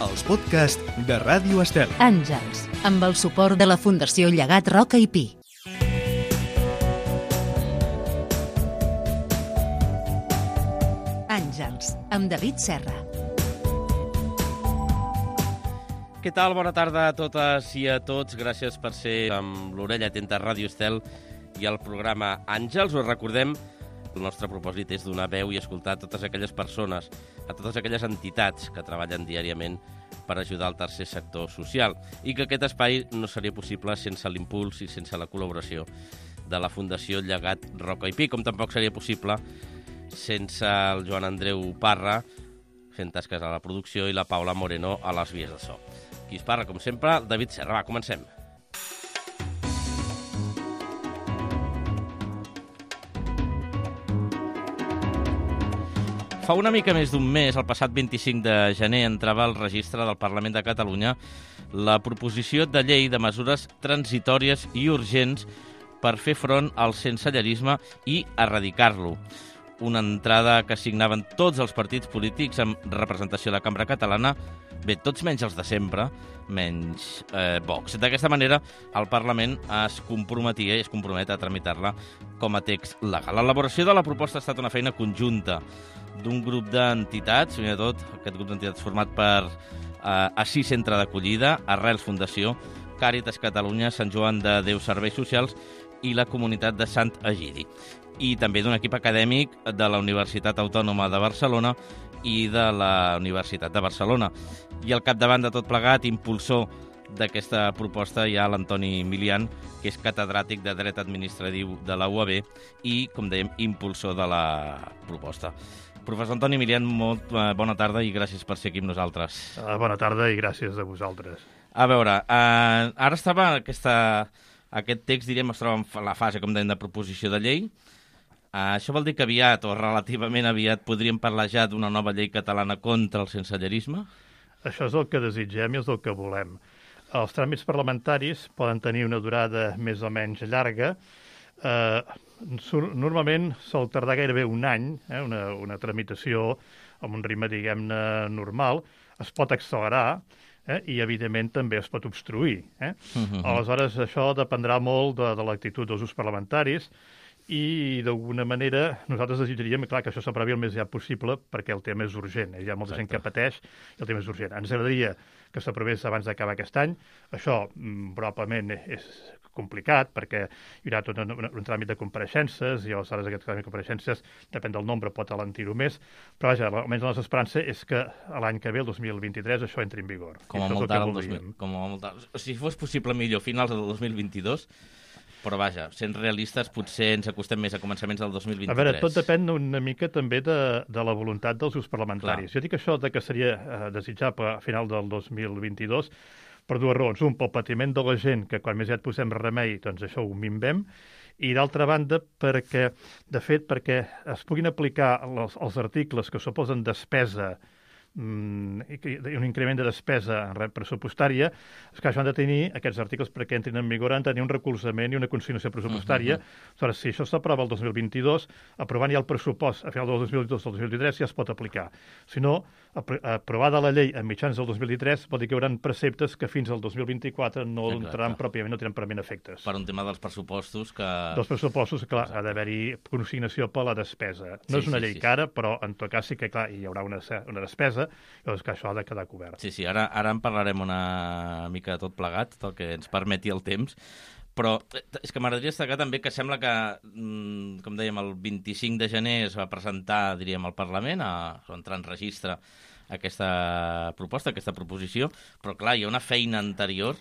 els podcasts de Ràdio Estel. Àngels, amb el suport de la Fundació Llegat Roca i Pi. Àngels, amb David Serra. Què tal? Bona tarda a totes i a tots. Gràcies per ser amb l'orella atenta a Ràdio Estel i al programa Àngels. Us recordem, el nostre propòsit és donar veu i escoltar a totes aquelles persones, a totes aquelles entitats que treballen diàriament per ajudar el tercer sector social i que aquest espai no seria possible sense l'impuls i sense la col·laboració de la Fundació Llegat Roca i Pi, com tampoc seria possible sense el Joan Andreu Parra fent tasques a la producció i la Paula Moreno a les vies de so. Qui es parla, com sempre, David Serra. Va, comencem. Fa una mica més d'un mes, el passat 25 de gener, entrava al registre del Parlament de Catalunya la proposició de llei de mesures transitòries i urgents per fer front al sensellarisme i erradicar-lo. Una entrada que signaven tots els partits polítics amb representació a la Cambra Catalana, bé, tots menys els de sempre, menys Vox. D'aquesta manera, el Parlament es comprometia i es compromet a tramitar-la com a text legal. L'elaboració de la proposta ha estat una feina conjunta d'un grup d'entitats, fins i tot aquest grup d'entitats format per Assís Centre d'Acollida, Arrels Fundació, Càritas Catalunya, Sant Joan de Déu Serveis Socials i la comunitat de Sant Egidi. I també d'un equip acadèmic de la Universitat Autònoma de Barcelona i de la Universitat de Barcelona. I al capdavant de tot plegat, impulsor d'aquesta proposta, hi ha l'Antoni Milian, que és catedràtic de Dret Administratiu de la UAB i, com dèiem, impulsor de la proposta. Professor Antoni Milian, molt bona tarda i gràcies per ser aquí amb nosaltres. Bona tarda i gràcies a vosaltres. A veure, ara estava aquest text, diríem, es troba en la fase, com dèiem, de proposició de llei. Això vol dir que aviat, o relativament aviat, podríem parlar ja d'una nova llei catalana contra el sensellarisme? Això és el que desitgem i és el que volem. Els tràmits parlamentaris poden tenir una durada més o menys llarga. Normalment sol tardar gairebé un any, una tramitació amb un ritme, diguem-ne, normal. Es pot accelerar i, evidentment, també es pot obstruir. Aleshores, això dependrà molt de l'actitud dels grups parlamentaris i, d'alguna manera, nosaltres desitjaríem clar, que això s'aprovi el més aviat possible perquè el tema és urgent. Hi ha molta gent que pateix i el tema és urgent. Ens agradaria que s'aprovés abans d'acabar aquest any. Això probablement és complicat perquè hi haurà tot un tràmit de compareixences i aleshores aquest tràmit de compareixences, depèn del nombre, pot alentir-ho més. Però vaja, almenys la nostra esperança és que l'any que ve, el 2023, això entri en vigor. Com a molt tard el 2000. Si fos possible millor, finals del 2022, però vaja, sent realistes, potser ens acostem més a començaments del 2023. A veure, tot depèn una mica també de la voluntat dels grups parlamentaris. Clar. Jo dic això que seria desitjable a final del 2022 per dues raons. Un, pel patiment de la gent, que quan més ja et posem remei, doncs això ho minvem, i d'altra banda, perquè es puguin aplicar els articles que suposen despesa i un increment de despesa pressupostària, és que això han de tenir, aquests articles perquè entrin en vigor, han de tenir un recolzament i una consignació pressupostària. Aleshores, si això s'aprova el 2022, aprovant ja el pressupost a final del 2022 o el 2023 ja es pot aplicar. Si no, aprovada la llei a mitjans del 2023 vol dir que hi haurà preceptes que fins al 2024 no tenen pròpiament efectes. Per un tema dels pressupostos que... Dels pressupostos, clar, ha d'haver-hi consignació per la despesa. No és una llei cara, però en tot cas sí que, clar, hi haurà una despesa, llavors que això ha de quedar cobert. Sí, ara en parlarem una mica de tot plegat, del que ens permeti el temps, però és que m'agradaria destacar també que sembla que, com dèiem, el 25 de gener es va presentar, diríem, al Parlament, a entrar en registre aquesta proposta, aquesta proposició, però clar, hi ha una feina anterior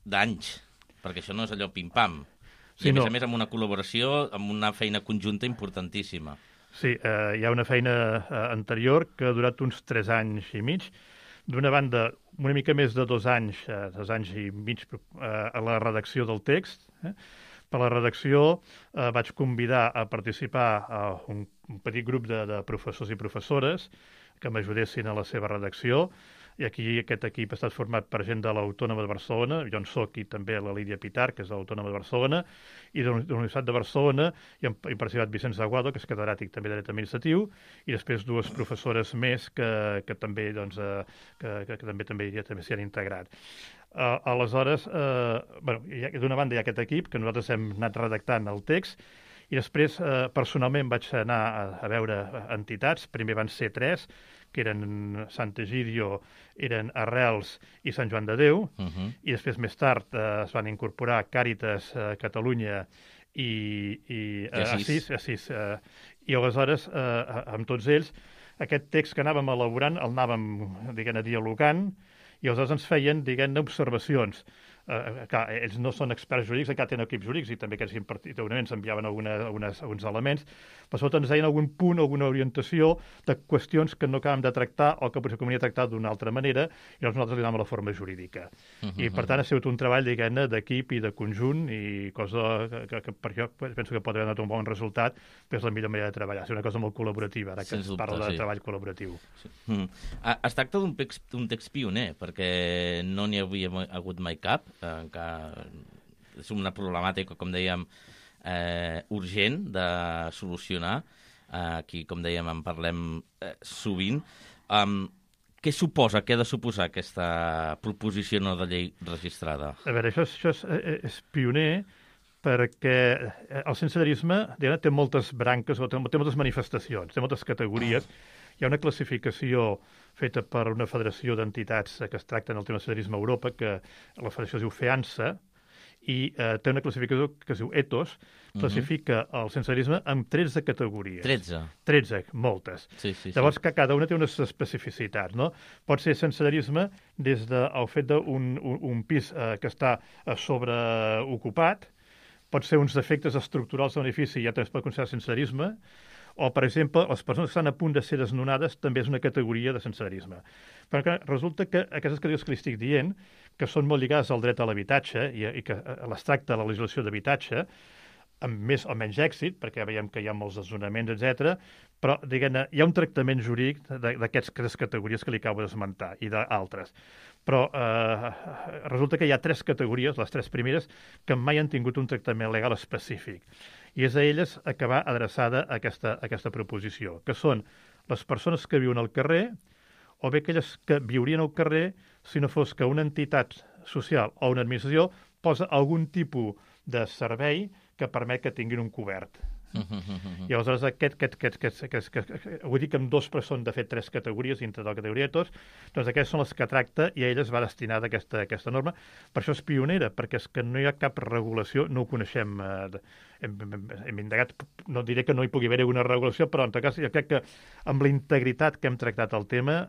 d'anys, perquè això no és allò pim-pam. I a més amb una col·laboració, amb una feina conjunta importantíssima. Sí, hi ha una feina anterior que ha durat uns 3 anys i mig. D'una banda, una mica més de 2 anys i mig a la redacció del text. Per la redacció vaig convidar a participar un petit grup de professors i professores que m'ajudessin a la seva redacció. i aquí aquest equip ha estat format per gent de l'Autònoma de Barcelona, jo en soc, i també la Lídia Pitar, que és de l'Autònoma de Barcelona, i de la Universitat de Barcelona, i participat Vicenç Aguado, que és catedràtic també de dret administratiu, i després dues professores més que també doncs, que també s'hi han integrat. Aleshores, d'una banda hi ha aquest equip, que nosaltres hem anat redactant el text, i després, personalment, vaig anar a veure entitats. Primer van ser 3, que eren Sant Egidio, eren Arrels i Sant Joan de Déu, i després, més tard, es van incorporar Càritas, Catalunya i Assís. I aleshores, amb tots ells, aquest text que anàvem elaborant el anàvem, dialogant, i aleshores ens feien, observacions. Clar, ells no són experts jurídics, encara tenen equips jurídics i també aquests ens enviaven alguns elements, però sobretot ens deien algun punt, alguna orientació de qüestions que no acabem de tractar o que potser convenia tractar d'una altra manera, i nosaltres li donàvem la forma jurídica. I per tant ha sigut un treball, d'equip i de conjunt, i cosa que per jo penso que pot haver donat un bon resultat, però és la millor manera de treballar. És una cosa molt col·laborativa, ara que es parla de treball col·laboratiu. Es tracta d'un text pioner, perquè no n'hi havia hagut mai cap, que és una problemàtica, com dèiem, urgent de solucionar. Aquí, com dèiem, en parlem sovint. Què ha de suposar aquesta proposició no de llei registrada? A veure, això és pioner perquè el sensellarisme té moltes branques, té moltes manifestacions, té moltes categories. Hi ha una classificació feta per una federació d'entitats que es tracten el tema del sensellarisme a Europa, que la federació es diu FEANSA, i té una classificació que es diu ETOS, classifica el sensellarisme en 13 categories. 13, moltes. Sí. Llavors, que cada una té unes especificitats, no? Pot ser sensellarisme des del fet d'un pis que està sobreocupat, pot ser uns defectes estructurals de l'edifici, ja també es pot considerar sensellarisme, o, per exemple, les persones que estan a punt de ser desnonades també és una categoria de sensellarisme. Però resulta que aquestes categories que li estic dient, que són molt lligades al dret a l'habitatge i que les tracta la legislació d'habitatge, amb més o menys èxit, perquè veiem que hi ha molts desnonaments, etc. Però, diguem-ne, hi ha un tractament jurídic d'aquestes categories que li acabo d'esmentar i d'altres. Però resulta que hi ha 3 categories, les 3 primeres, que mai han tingut un tractament legal específic. I és a elles a què va adreçada aquesta proposició, que són les persones que viuen al carrer, o bé aquelles que viurien al carrer si no fos que una entitat social o una administració posa algun tipus de servei que permet que tinguin un cobert. I aleshores vull dir que amb 2 però són de fet 3 categories dintre de la categoria de tots, doncs aquestes són les que tracta i a elles va destinada aquesta norma. Per això és pionera, perquè és que no hi ha cap regulació, no ho coneixem, hem indagat, no diré que no hi pugui haver una regulació, però en tot cas jo crec que amb la integritat que hem tractat el tema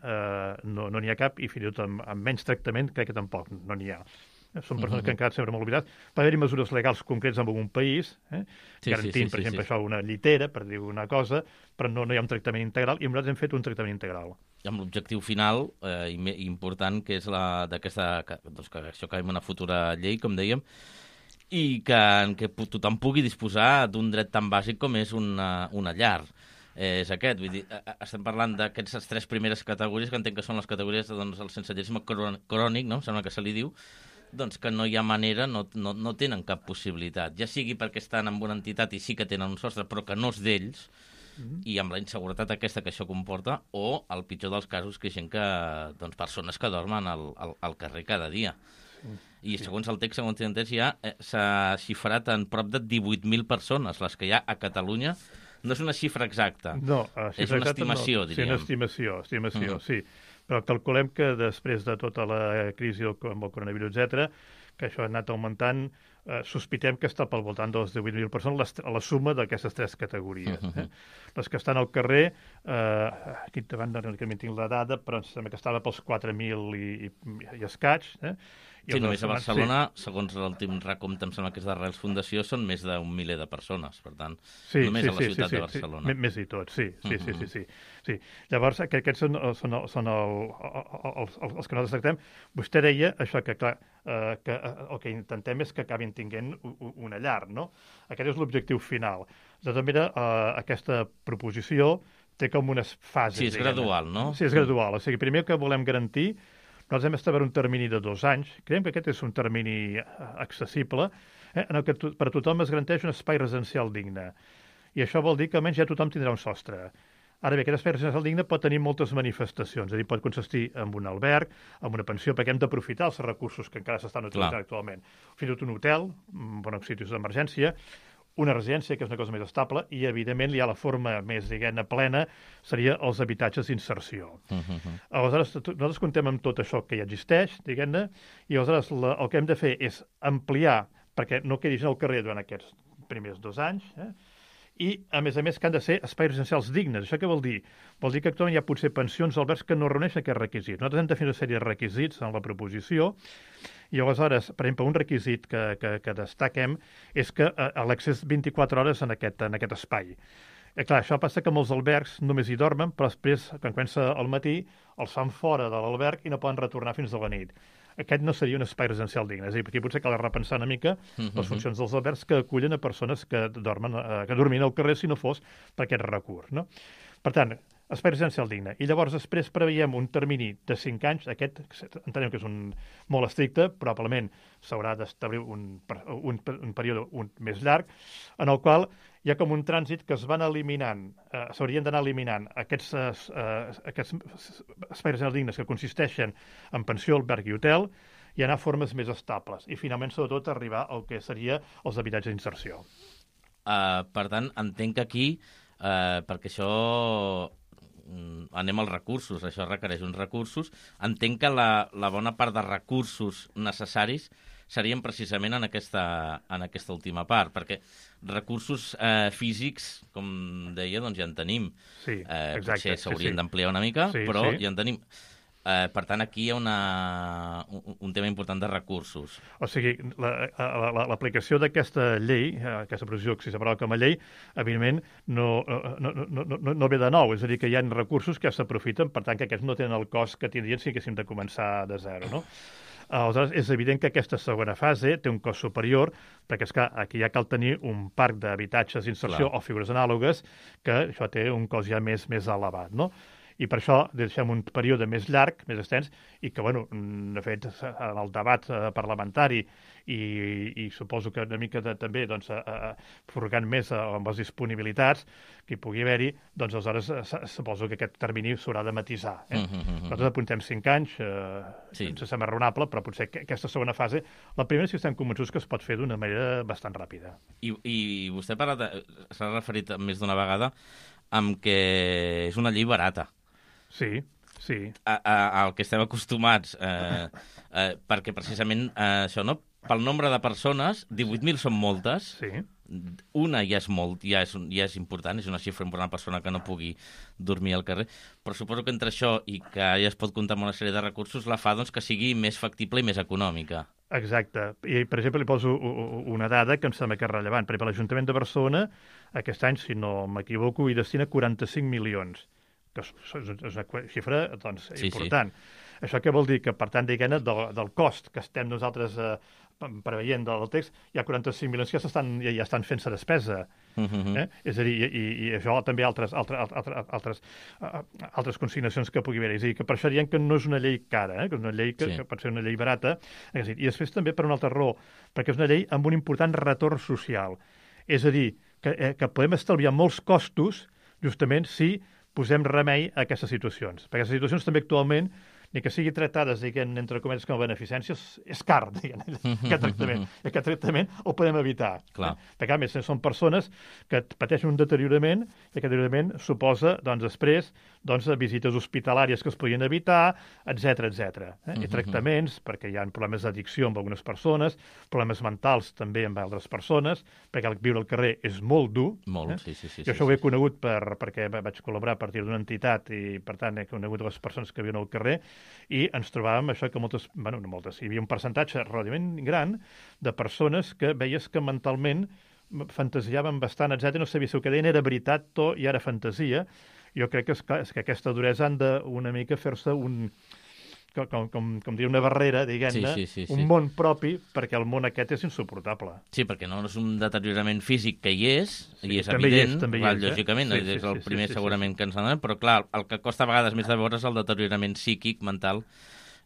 no n'hi ha cap, i fins i tot amb menys tractament crec que tampoc no n'hi ha. Són persones que han quedat sempre molt oblidades. Va haver-hi mesures legals concretes en algun país, garantint, per exemple, això, una llitera, per dir una cosa, però no hi ha un tractament integral, i nosaltres hem fet un tractament integral. Amb l'objectiu final, important, que és que això acabi en una futura llei, com dèiem, i que tothom pugui disposar d'un dret tan bàsic com és una llar. És aquest, vull dir, estem parlant d'aquestes 3 primeres categories, que entenc que són les categories del sensellarisme crònic, no? Sembla que se li diu, doncs que no hi ha manera, no tenen cap possibilitat, ja sigui perquè estan en una entitat i sí que tenen un sostre, però que no és d'ells, i amb la inseguretat aquesta que això comporta, o, el pitjor dels casos, que hi ha gent doncs, persones que dormen al carrer cada dia. I segons el text, segons tinc entès, ja s'ha xifrat en prop de 18.000 persones, les que hi ha a Catalunya. No és una xifra exacta, és una estimació, diríem. Sí, una estimació, sí. Però calculem que després de tota la crisi amb el coronavirus, etc., que això ha anat augmentant, sospitem que està pel voltant de les 18.000 persones a la suma d'aquestes 3 categories. Les que estan al carrer, aquí davant no tinc la dada, però em sembla que estava pels 4.000 i escaig. Sí, només a Barcelona, segons l'últim recompte, em sembla que és d'Arrels Fundació, són més d'un miler de persones, per tant, només a la ciutat de Barcelona. Més i tot, sí. Llavors, aquests són els que nosaltres tractem. Vostè deia això, que clar, el que intentem és que acabin tinguent una llar, no? Aquest és l'objectiu final. De tota manera, aquesta proposició té com unes fases. Sí, és gradual, no? Sí, és gradual. O sigui, primer que volem garantir nosaltres hem establert un termini de 2 anys. Creiem que aquest és un termini accessible, en el que per a tothom es garanteix un espai residencial digne. I això vol dir que almenys ja tothom tindrà un sostre. Ara bé, aquest espai residencial digne pot tenir moltes manifestacions, és a dir, pot consistir en un alberg, en una pensió, perquè hem d'aprofitar els recursos que encara s'estan utilitzant actualment. Fins i tot un hotel, bons situs d'emergència, una residència, que és una cosa més estable, i, evidentment, ja la forma més, diguem-ne, plena seria els habitatges d'inserció. Aleshores, nosaltres contem amb tot això que ja existeix, diguem-ne, i aleshores el que hem de fer és ampliar, perquè no quedi gent al carrer durant aquests primers 2 anys, i, a més, que han de ser espais residencials dignes. Això què vol dir? Vol dir que actualment hi ha potser pensions o albergs que no reuneixen aquests requisits. Nosaltres hem de fer una sèrie de requisits en la proposició, i aleshores, per exemple, un requisit que destaquem és que l'accés 24 hores en aquest espai. Clar, això passa que molts albergs només hi dormen, però després, quan comença al matí, els fan fora de l'alberg i no poden retornar fins a la nit. Aquest no seria un espai residencial digne. És a dir, aquí potser cal repensar una mica les funcions dels albergs que acullen a persones que dormin al carrer si no fos per aquest recurs. No? Per tant, espai residencial digne. I llavors després preveiem un termini de 5 anys, aquest entenem que és molt estricte, probablement s'haurà d'establir un període més llarg, en el qual hi ha com un trànsit que es van eliminant, s'haurien d'anar eliminant aquests espais residencials dignes que consisteixen en pensió, alberg i hotel, i anar a formes més estables. I finalment, sobretot, arribar al que seria els habitatges d'inserció. Per tant, entenc que aquí, perquè això anem als recursos, això requereix uns recursos, entenc que la bona part de recursos necessaris serien precisament en aquesta última part, perquè recursos físics, com deia, doncs ja en tenim. Sí, exacte. Potser s'haurien d'ampliar una mica, però ja en tenim. Per tant, aquí hi ha un tema important de recursos. O sigui, l'aplicació d'aquesta llei, aquesta proposició que s'aprova com a llei, evidentment no ve de nou, és a dir, que hi ha recursos que s'aprofiten, per tant, que aquests no tenen el cost que tindrien si haguéssim de començar de zero, no? Aleshores, és evident que aquesta segona fase té un cost superior, perquè és que aquí ja cal tenir un parc d'habitatges d'inserció o figures anàlogues, que això té un cost ja més elevat, no? I per això deixem un període més llarg, més extens, i que, bueno, de fet, en el debat parlamentari i suposo que una mica també, doncs, furgant més amb les disponibilitats que hi pugui haver-hi, doncs, aleshores, suposo que aquest termini s'haurà de matisar. Nosaltres apuntem 5 anys, ens sembla raonable, però potser aquesta segona fase, la primera sí que estem convençuts que es pot fer d'una manera bastant ràpida. I vostè s'ha referit més d'una vegada amb que és una llei barata. Sí. Al que estem acostumats, perquè precisament això, no? Pel nombre de persones, 18.000 són moltes, una ja és important, és una xifra important, una persona que no pugui dormir al carrer, però suposo que entre això i que ja es pot comptar amb una sèrie de recursos la fa doncs, que sigui més factible i més econòmica. Exacte. I, per exemple, li poso una dada que em sembla que és rellevant. Per exemple, l'Ajuntament de Barcelona, aquest any, si no m'equivoco, hi destina 45 milions, que és una xifra doncs, important. Això què vol dir? Que, per tant, diguem-ne, del cost que estem nosaltres preveient del text, hi ha 45 milions que ja estan fent-se despesa. És a dir, i això també altres consignacions que pugui haver-hi. És a dir, que per això diem que no és una llei cara, que és una llei que pot ser una llei barata. I després també per una altra raó, perquè és una llei amb un important retorn social. És a dir, que podem estalviar molts costos justament si posem remei a aquestes situacions. Perquè aquestes situacions també actualment, ni que sigui tractades, diguem, entre cometes com a beneficències, és car, diguem, aquest tractament. I aquest tractament el podem evitar. Perquè, a més, són persones que pateixen un deteriorament, i aquest deteriorament suposa, doncs, després, visites hospitalàries que es podien evitar, etc. I tractaments, perquè hi ha problemes d'addicció amb algunes persones, problemes mentals també amb altres persones, perquè viure al carrer és molt dur. Molt, sí. Jo això ho he conegut perquè vaig col·laborar a partir d'una entitat i, per tant, he conegut les persones que viuen al carrer i ens trobàvem això que hi havia un percentatge relativament gran de persones que veies que mentalment fantasiaven bastant, etc. No sabia si el que deien era veritat o i era fantasia. Jo crec que aquesta duresa han de una mica fer-se com dir, una barrera, diguem-ne, un món propi, perquè el món aquest és insuportable. Sí, perquè no és un deteriorament físic que hi és evident, lògicament, és el primer segurament que ens n'anem, però clar, el que costa a vegades més de veure és el deteriorament psíquic, mental,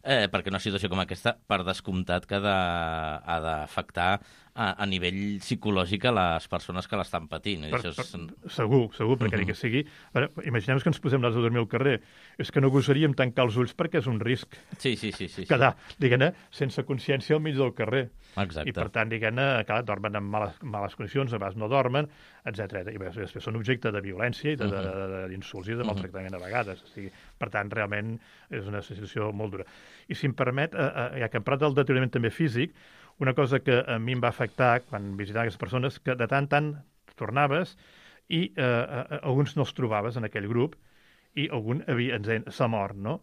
perquè una situació com aquesta, per descomptat, que ha d'afectar a nivell psicològic a les persones que l'estan patint. Segur, perquè ni que sigui... Imaginem que ens posem les a dormir al carrer. És que no gosaríem tancar els ulls perquè és un risc. Sí. Quedar, diguem-ne, sense consciència al mig del carrer. Exacte. I, per tant, diguem-ne, clar, dormen en males condicions, a vegades no dormen, etc. I després són objecte de violència i d'insults i de maltractament a vegades. O sigui, per tant, realment és una situació molt dura. I si em permet, ja que hem parlat del deteriorament també físic, una cosa que a mi em va afectar quan visitava aquestes persones, que de tant en tant tornaves i alguns no els trobaves en aquell grup i algun s'ha mort, no?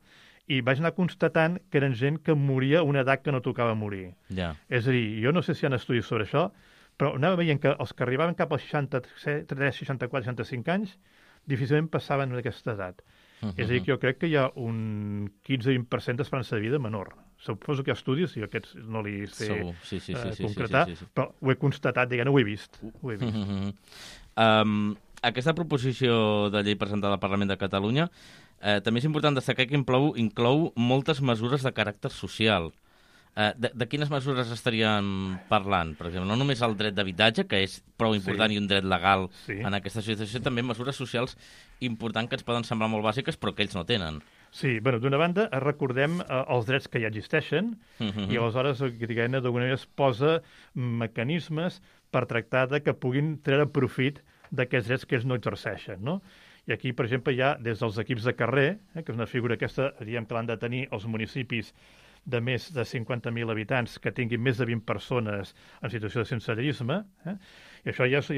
I vaig anar constatant que eren gent que moria a una edat que no tocava morir. Ja. És a dir, jo no sé si hi ha estudis sobre això, però anava veient que els que arribaven cap als 63, 64, 65 anys difícilment passaven d'aquesta edat. És a dir, que jo crec que hi ha un 15-20% d'esperança de vida menor. Suposo que hi ha estudis, i aquests no li sé concretar, però ho he constatat, diguem-ne, ho he vist. Aquesta proposició de llei presentada al Parlament de Catalunya també és important destacar que inclou moltes mesures de caràcter social. De quines mesures estaríem parlant? Per exemple, no només el dret d'habitatge, que és prou important i un dret legal en aquesta situació, també mesures socials importants que ens poden semblar molt bàsiques, però que ells no tenen. Sí, d'una banda, recordem els drets que ja existeixen i aleshores, diguem-ne, d'alguna manera es posa mecanismes per tractar de que puguin treure profit d'aquests drets que ells no exerceixen, no? I aquí, per exemple, hi ha des dels equips de carrer, que és una figura aquesta, diríem que l'han de tenir els municipis de més de 50.000 habitants que tinguin més de 20 persones en situació de sensellarisme, i això ja és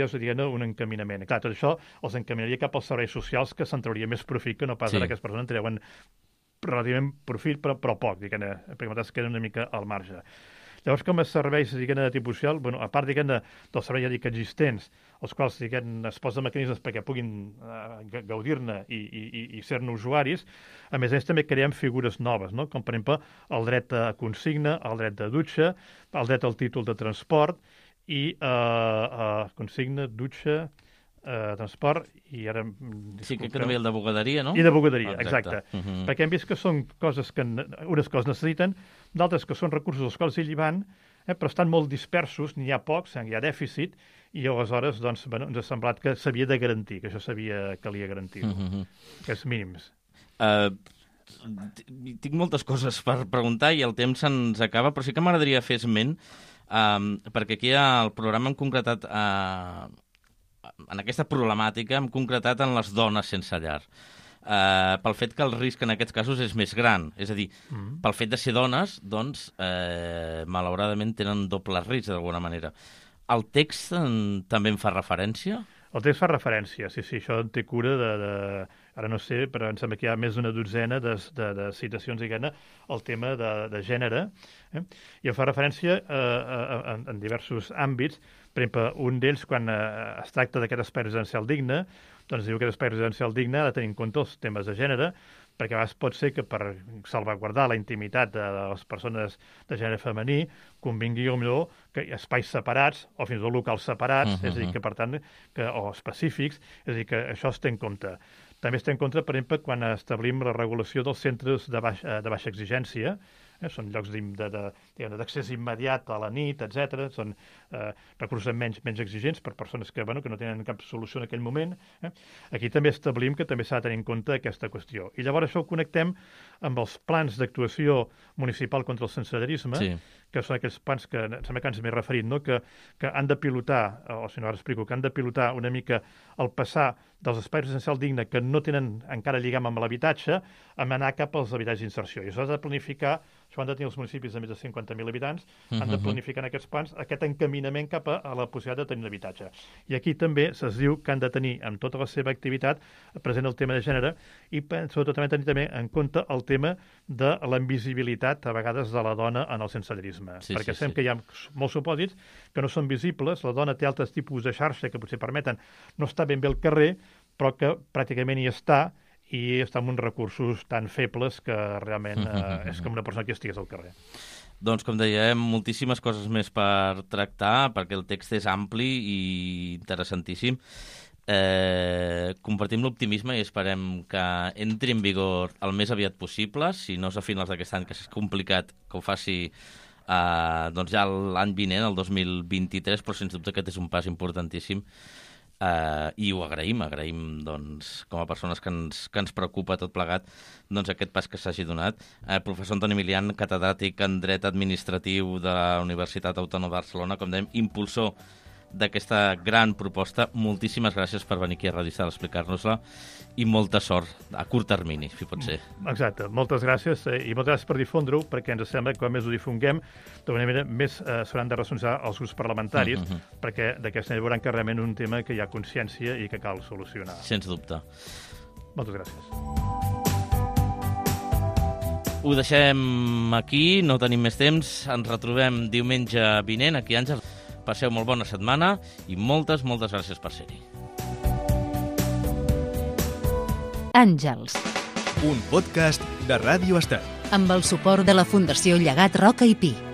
un encaminament. Clar, tot això els encaminaria cap als serveis socials, que se'n trauria més profit que no pas ara, que les persones en treuen relativament profit, però poc, diguem-ne, perquè es queden una mica al marge. Llavors, com a serveis, diguem-ne, de tipus social, a part, diguem-ne, dels serveis, ja dic, existents, els quals, diguem-ne, es posen mecanismes perquè puguin gaudir-ne i ser-ne usuaris, a més també creem figures noves, no? Com, per exemple, el dret a consigna, el dret de dutxa, el dret al títol de transport i consigna, dutxa, transport i ara... Sí, que també el de bugaderia, no? I de bugaderia, exacte. Perquè hem vist que són coses que unes coses necessiten, d'altres que són recursos als quals ells hi van, però estan molt dispersos, n'hi ha pocs, hi ha dèficit, i aleshores doncs, ens ha semblat que s'havia de garantir, que això calia garantir, aquests mínims. Tinc moltes coses per preguntar i el temps se'ns acaba, però sí que m'agradaria fer esment, perquè aquí al programa hem concretat... en aquesta problemàtica hem concretat en les dones sense llar, pel fet que el risc en aquests casos és més gran. És a dir, pel fet de ser dones, doncs, malauradament tenen doble risc, d'alguna manera. El text també en fa referència? El text fa referència, sí, això en té cura ara no sé, però em sembla que hi ha més d'una dotzena de citacions, diguem-ne, al tema de gènere, i en fa referència en diversos àmbits. Per exemple, un d'ells, quan es tracta d'aquest espai residencial digne, doncs diu que aquest espai residencial digne ha de tenir en compte els temes de gènere, perquè a vegades pot ser que per salvaguardar la intimitat de les persones de gènere femení convingui millor que espais separats o fins i tot locals separats, és a dir, que per tant, o específics, és a dir, que això es té en compte. També es té en compte, per exemple, quan establim la regulació dels centres de baixa exigència, són llocs d'accés immediat a la nit, etc. Són recursos menys exigents per persones que no tenen cap solució en aquell moment. Aquí també establim que també s'ha de tenir en compte aquesta qüestió. I llavors això ho connectem amb els plans d'actuació municipal contra el sensellarisme, que són aquells plans que em sembla que ens m'he referit, no? que han de pilotar, o si no ara explico, que han de pilotar una mica el passar dels espais residencials dignes que no tenen encara lligam amb l'habitatge, a anar cap als habitatges d'inserció. I això s'ha de planificar, això han de tenir els municipis de més de 50.000 habitants, han de planificar en aquests plans aquest encaminament cap a la possibilitat de tenir un habitatge. I aquí també se'ls diu que han de tenir en tota la seva activitat present el tema de gènere i sobretot tenir en compte el tema de la invisibilitat a vegades de la dona en el sensellarisme. Perquè sabem que hi ha molts supòsits que no són visibles, la dona té altres tipus de xarxa que potser permeten no estar ben bé al carrer, però que pràcticament hi està i està amb uns recursos tan febles que realment és com una persona que estigués al carrer. Doncs, com dèiem, moltíssimes coses més per tractar, perquè el text és ampli i interessantíssim. Compartim l'optimisme i esperem que entri en vigor el més aviat possible, si no és a finals d'aquest any, que és complicat que ho faci doncs ja l'any vinent, el 2023, però sens dubte aquest és un pas importantíssim. I ho agraïm doncs, com a persones que ens preocupa tot plegat, doncs aquest pas que s'hagi donat. Professor Antoni Milian, catedràtic en Dret Administratiu de la Universitat Autònoma de Barcelona, com dèiem, impulsor d'aquesta gran proposta. Moltíssimes gràcies per venir aquí a Radio Estel a explicar-nos-la i molta sort a curt termini, si pot ser. Exacte, moltes gràcies i moltes gràcies per difondre-ho, perquè ens sembla que quan més ho difonguem, d'alguna manera més s'hauran de responsabilitzar els grups parlamentaris, perquè d'aquesta manera veuran que realment és un tema que hi ha consciència i que cal solucionar. Sens dubte. Moltes gràcies. Ho deixem aquí, no tenim més temps. Ens retrobem diumenge vinent aquí a Àngels. Passeu molt bona setmana i moltes gràcies per ser-hi. Àngels. Un podcast de Ràdio Estel. Amb el suport de la Fundació Llegat Roca i Pi.